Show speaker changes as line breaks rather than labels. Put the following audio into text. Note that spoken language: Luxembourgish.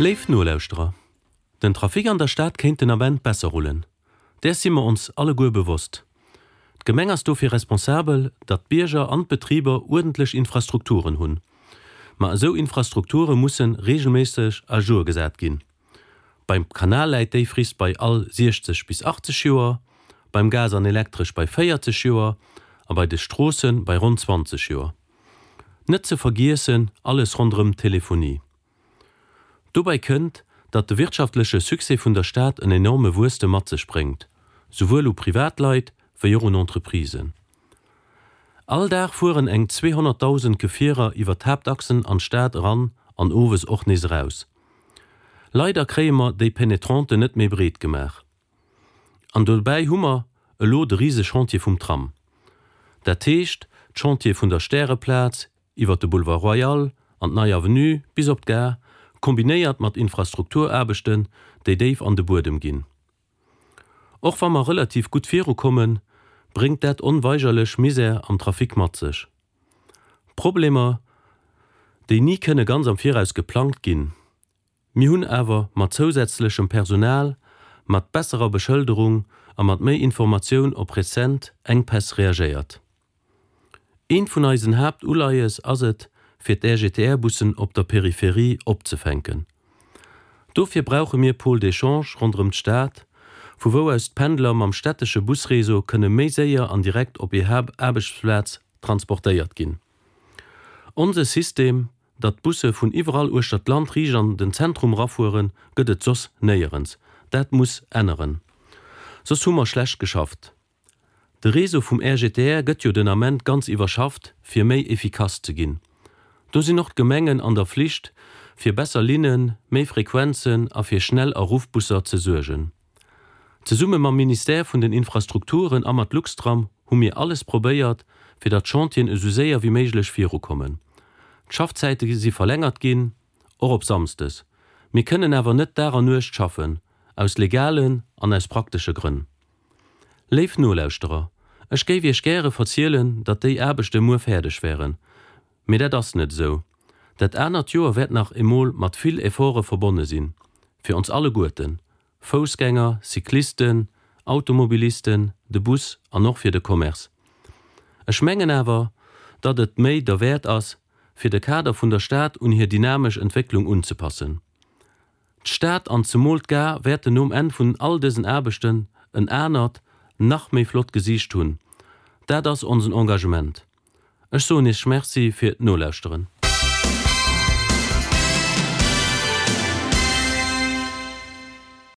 Léif Nolauschterer, den Trafic an der Stad kéint den Ament besser rullen. Däers si mer ons alleguer bewosst. D'Gemeng ass dofir responsabel, datt d'Bierger an d'Betriber uerdentlech Infrastrukturen hunn. Ma esou Infrastrukture mussen regelméisseg à jour gesat ginn. Beim Kanal läit déi Frist bei all 60 bis 80 Joer, beim Gas an Elektresch bei 40 Joer a bei de Stroosse bei ronn 20 Joer. Net ze vergiessen alles ronderëm d'Telefonie. Dobäi kënnt, datt de wirtschaftleche Succès vun der Stad en enorme Wuesstem mat sech bréngt, souwuel u Privatleit wéi och un Entreprisen. All Dag fueren eng 200.000 Gefierer iwwer d'Haaptachsen an d'Stad eran an owes och nees eraus. Leider kréie mer déi Pénétranten net méi breet gemaach. An dobäi hu mer elo de rise Chantier vum Tram. Dat heescht, d'Chantiere vun der Stäreplaz iwwer de Boulevard Royal an d'Nei Avenue bis op d'Gare, kombinéiert mat Infrastrukturaarbechten, déi déif an de Buedem ginn. Och wa mer relativ gutt virukommen, bréngt dat onweigerlech Misär am Trafic mat sech. Problemer, déi ni kënne ganz am Viraus geplangt ginn. Mir hunn awer mat zousätzlechem Personal, mat besserer Beschëlderung a mat méi Informatioun op rezent Enkpäss reagéiert. Eent vun eisen Haaptuleies ass et, fir d'RGTR-Bussen op der Peripherie opzefänken. Dofir brauche mir Pôles d'échange ronderëm d'Stad, vu wou aus d'Pendler mam stättesche Busréseau kënne méi séier an direkt op hir Aarbechtsplaz transportéiert ginn. Onse System, datt d'Busse vun iwwerall uechter d'Land riicht an den Zentrum rafueren, gëtt et soss néierens. Dat muss änneren, soss hu mer schlecht geschafft. De Réseau vum RGTR gëtt jo den Ament ganz iwwerschafft, fir méi efficace ze ginn. Do sinn och d'Gemengen an der Flicht, fir besser Linnen, méi Frequenzen a fir Schnell a Ruffbusser ze suergen. Zesumme mam Ministère vun den Infrastrukturen a mat Luxtram hu mir alles probéiert, fir datt d'Chantieren esou séier wéi méiglech virukommen. D'Schaffzäite si verlängert ginn, och op Samsdes. Mir kënnen awer net Dag an Nuecht schaffen, aus legalen an aus praktesche Grënn. Léif Nolauschterer, ech géif Iech gäre verzielen, datt déi Aarbechte muer fäerdeg wären, mee dat ass net esou. Dat anert Joer wäert nach emol mat vill Efforte verbonne sinn, fir ons alleguerten, Foussgänger, Cyclisten, Automobilisten, de Bus an och fir de Commerce. Ech mengen awer, datt et d'Méi derwäert ass, fir de Kader vun der Stad un hir dynamesch Entwécklung unzepassen. D'Stad an zemol d'Gare wäerten nom Enn vun all dësen Aarbechten en anert, nach méi flott Gesiicht hunn. Dat ass onsen Engagement. Ech soen Iech Merci fir d'Nolauschteren.